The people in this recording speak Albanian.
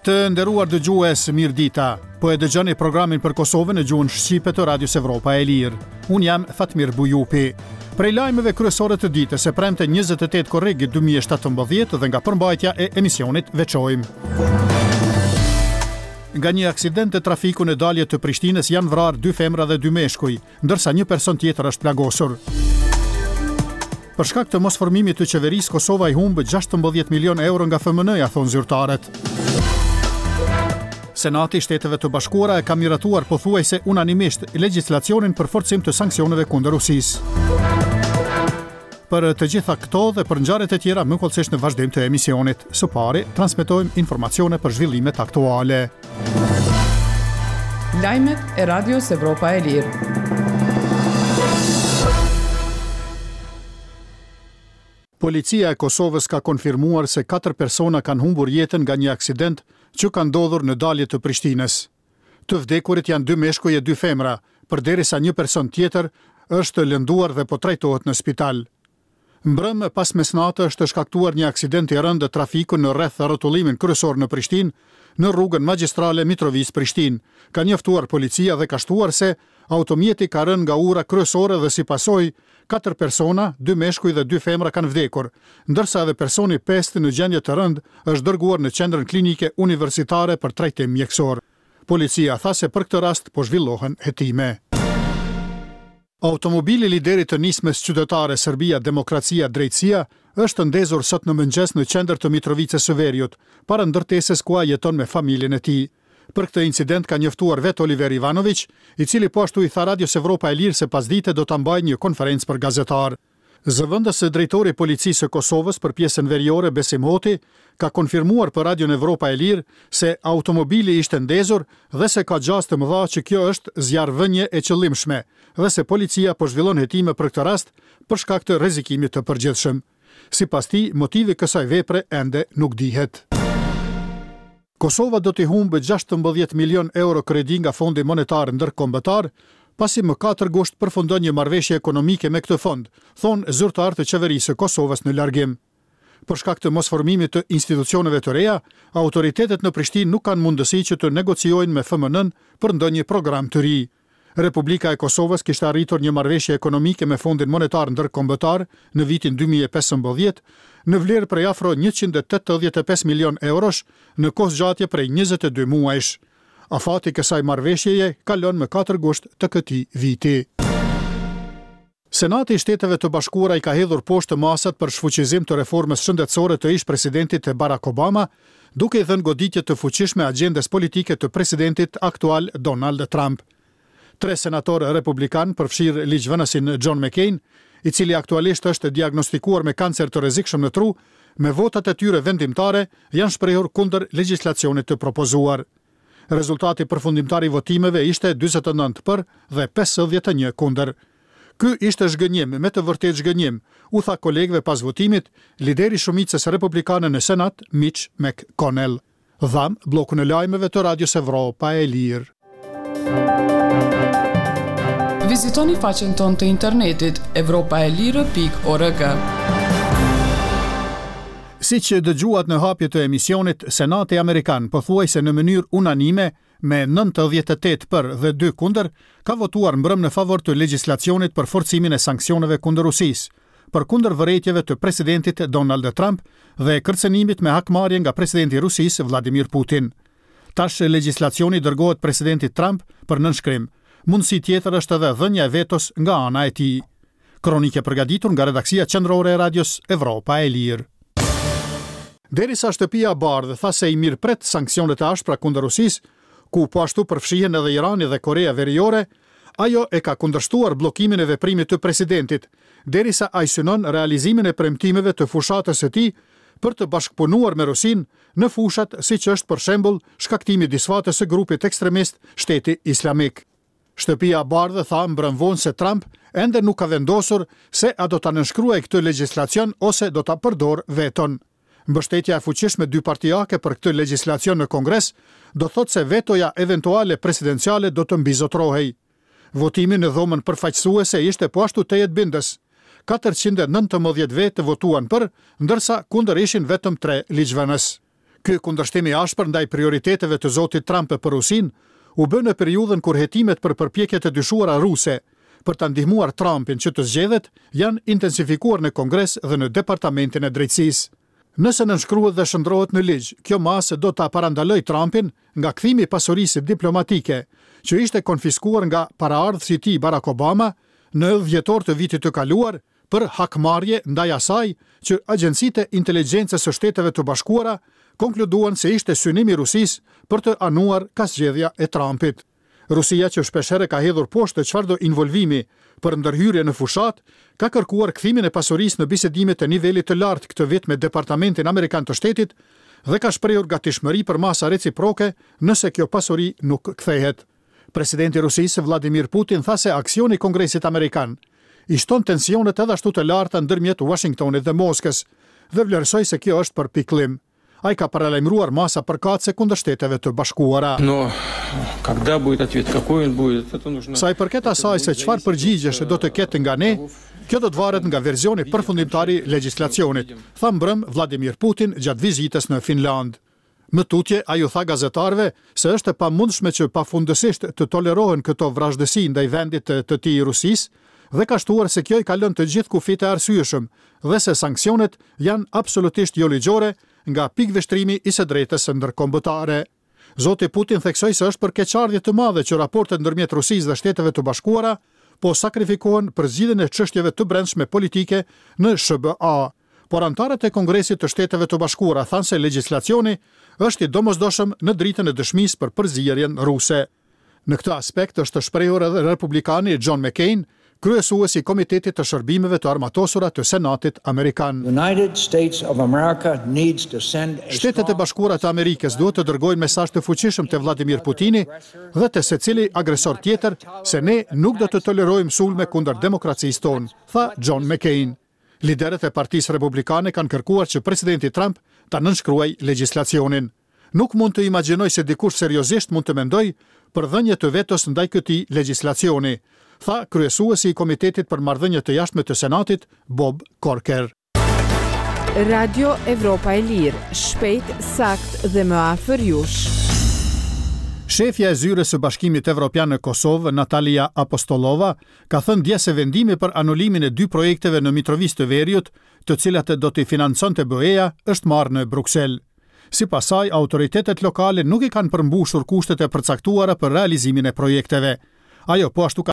Të nderuar dëgjues, mirëdita. Po e dëgjoni programin për Kosovën në gjuhën shqipe të Radios Evropa e Lirë. Unë jam Fatmir Bujupi. Prej lajmeve kryesore të ditës së premte 28 korrik 2017 dhe nga përmbajtja e emisionit veçojmë. Nga një aksident trafiku në dalje të Prishtinës janë vrarë dy femra dhe dy meshkuj. ndërsa një person tjetër është plagosur. Për shkak të mosformimit të qeverisë, Kosova i humb 16 milionë euro nga FMN-ja, thonë zyrtarët. Senati i Shteteve të Bashkuara e ka miratuar pothuajse unanimisht legjislacionin për forcim të sanksioneve kundër Rusisë. Për të gjitha këto dhe për ngjarjet e tjera më hollësisht në vazhdim të emisionit. Së pari, transmetojmë informacione për zhvillimet aktuale. Lajmet e Radios Evropa e Lirë. Policia e Kosovës ka konfirmuar se katër persona kanë humbur jetën nga një aksident që ka ndodhur në dalje të Prishtinës. Të vdekurit janë dy meshkuj e dy femra, përderisa një person tjetër është lënduar dhe po trajtohet në spital. Mbrëmë pas mesnate është shkaktuar një aksident i rëndë trafiku në rreth-rrotullimin kryesor në Prishtinë, në rrugën magjistrale Mitrovicë-Prishtinë, ka njoftuar policia dhe ka shtuar se automjeti ka rënë nga ura kryesore dhe si pasojë, katër persona, dy meshkuj dhe dy femra kanë vdekur, ndërsa edhe personi i pestë në gjendje të rëndë është dërguar në Qendrën Klinike Universitare për trajtim mjekësor. Policia tha se për këtë rast po zhvillohen hetime. Automobili i liderit të Nismës Qytetare Serbia Demokracia Drejtësia është ndezur sot në mëngjes në qendër të Mitrovicës së Veriut, para ndërtesës ku ai jeton me familjen e tij. Për këtë incident ka njoftuar vetë Oliver Ivanoviq, i cili po ashtu i tha Radios Evropa e Lirë se pasdite do ta mbajë një konferencë për gazetarë. Zëvendës drejtori i Policisë së Kosovës për pjesën veriore, Besim Hoti, ka konfirmuar për Radion Evropa e Lirë se automobili ishte ndezur dhe se ka gjasë të mëdha që kjo është zjarrvënie e qëllimshme dhe se policia po zhvillon hetime për këtë rast për shkak të rrezikimit të përgjithshëm. Sipas tij, motivi i kësaj vepre ende nuk dihet. Kosova do t'i humbë 16 milionë euro kredi nga Fondi Monetar Ndërkombëtar, pasi më 4 gusht përfundon një marrëveshje ekonomike me këtë fond, thonë zyrtarë të Qeverisë së Kosovës në largim. Për shkak të mosformimit të institucioneve të reja, autoritetet në Prishtinë nuk kanë mundësi që të negociojnë me FMN-në për ndonjë program të ri. Republika e Kosovës kishte arritur një marrëveshje ekonomike me Fondin Monetar Ndërkombëtar në vitin 2015, në vlerë prej afro 185 milionë eurosh në kohëzgjatje prej 22 muajsh. Afati i kësaj marrëveshjeje kalon më 4 gusht të këtij viti. Senati i Shteteve të Bashkuara i ka hedhur poshtë masat për shfuqizim të reformës shëndetësore të ish-presidentit Barack Obama, duke i dhënë goditje të fuqishme agjendës politike të presidentit aktual Donald Trump. Tre senatorë republikanë, përfshirë ligjvënësin John McCain, i cili aktualisht është diagnostikuar me kancer të rrezikshëm në tru, me votat e tyre vendimtare janë shprehur kundër legjislacionit të propozuar. Rezultati përfundimtar i votimeve ishte 49 për dhe 51 kundër. Ky ishte zhgënjim, me të vërtetë zhgënjim, u tha kolegëve pas votimit, lideri i shumicës republikane në Senat, Mitch McConnell. Dhamë bllokun e lajmeve të Radios Evropa e Lirë. Vizitoni faqen tonë të internetit evropaelire.org. Siç dëgjuat në hapje të emisionit, Senati amerikan pothuajse në mënyrë unanime me 98 për dhe 2 kundër, ka votuar mbrëmë në favor të legjislacionit për forcimin e sanksioneve kundër Rusisë, përkundër vërejtjeve të presidentit Donald Trump dhe kërcënimit me hakmarrje nga presidenti i Rusisë Vladimir Putin. Tash legjislacioni dërgohet presidentit Trump për nënshkrim. Mundësi tjetër është edhe dhënia e vetos nga ana e tij. Kronikë e përgatitur nga redaksia qendrore e Radios Evropa e Lirë. Derisa Shtëpia e Bardhë tha se i mirëpret sanksionet e ashpra kundër Rusisë, ku po ashtu përfshihen edhe Irani dhe Korea Veriore, ajo e ka kundërshtuar bllokimin e veprimit të presidentit, derisa ai synon realizimin e premtimeve të fushatës së tij për të bashkëpunuar me Rusinë në fushat siç është për shembull shkaktimi i disfatës së grupit ekstremist Shteti Islamik. Shtëpia e Bardhë tha mbrëmë vonë se Trump ende nuk ka vendosur se a do ta nënshkruajë këtë legjislacion ose do ta përdorë veton. Mbështetja e fuqishme dypartiake për këtë legjislacion në Kongres do të thotë se vetoja eventuale presidenciale do të mbizotërohej. Votimi në dhomën përfaqësuese ishte po ashtu tejet bindës. 419 vetë votuan për, ndërsa kundër ishin vetëm tre ligjvënës. Ky kundërshtim i ashpër ndaj prioriteteve të zotit Trump për Rusinë u bë në periudhën kur hetimet për përpjekjet e dyshuara ruse për ta ndihmuar Trumpin që të zgjedhet janë intensifikuar në Kongres dhe në Departamentin e Drejtësisë. Nëse nënshkruhet dhe shndërrohet në ligj, kjo masë do ta parandalojë Trumpin nga kthimi i pasurisë diplomatike, që ishte konfiskuar nga paraardhësi i tij Barack Obama në dhjetor të vitit të kaluar për hakmarrje ndaj asaj që agjencitë e inteligjencës së Shteteve të Bashkuara konkluduan se ishte synim i Rusisë për të anuar ka zgjedhja e Trumpit. Rusia që shpeshherë ka hedhur poshtë çfarëdo involvimi për ndërhyrje në fushatë, ka kërkuar kthimin e pasurisë në bisedimet e nivelit të lartë këtë vit me Departamentin Amerikan të Shtetit dhe ka shprehur gatishmëri për masa reciproke nëse kjo pasuri nuk kthehet. Presidenti i Rusisë, Vladimir Putin tha se aksioni i Kongresit Amerikan i shton tensionet edhe ashtu të larta ndërmjet Uashingtonit dhe Moskës dhe vlerësoi se kjo është për pikëllim. Ai ka paralajmëruar masa përkatëse kundër Shteteve të Bashkuara. Sa i përket asaj se çfarë përgjigjesh do të ketë nga ne, kjo do të varet nga versioni përfundimtar i legjislacionit, tha mbrëmë Vladimir Putin gjatë vizitës në Finlandë. Më tutje, ai u tha gazetarëve se është e pamundshme që pafundësisht të tolerohen këto vrazhdësi ndaj vendit të tij Rusisë dhe ka shtuar se kjo i kalon të gjithë kufijtë e arsyeshëm dhe se sanksionet janë absolutisht joligjore nga pikëvështrimi i së drejtës ndërkombëtare. Zoti Putin theksoi se është për keqardhje të madhe që raportet ndërmjet Rusisë dhe Shteteve të Bashkuara po sakrifikohen për zgjidhjen e çështjeve të brendshme politike në SHBA. Por anëtarët e Kongresit të Shteteve të Bashkuara thanë se legjislacioni është i domosdoshëm në dritën e dëshmisë për përzierjen ruse. Në këtë aspekt është shprehur edhe republikani John McCain, kryesues i Komitetit të Shërbimeve të Armatosura të Senatit amerikan. Shtetet e Bashkuara të Amerikës duhet të dërgojnë mesazh të fuqishëm te Vladimir Putini dhe te secili agresor tjetër se ne nuk do të tolerojmë sulme kundër demokracisë tonë, tha John McCain. Liderët e Partisë Republikane kanë kërkuar që presidenti Trump ta nënshkruajë legjislacionin. Nuk mund të imagjinoj se dikush seriozisht mund të mendojë për dhënie të vetos ndaj këtij legjislacioni, tha kryesuesi i Komitetit për Marrëdhënie të Jashtme të Senatit, Bob Corker. Radio Evropa e Lirë, shpejt, saktë dhe më afër jush. Shefja e Zyrës së Bashkimit Evropian në Kosovë, Natalia Apostolova, ka thënë dje se vendimi për anulimin e dy projekteve në Mitrovicë të Veriut, të cilat do t'i financonte BE-ja, është marrë në Bruksel. Sipas saj, autoritetet lokale nuk i kanë përmbushur kushtet e përcaktuara për realizimin e projekteve. Ajo po ashtu ka.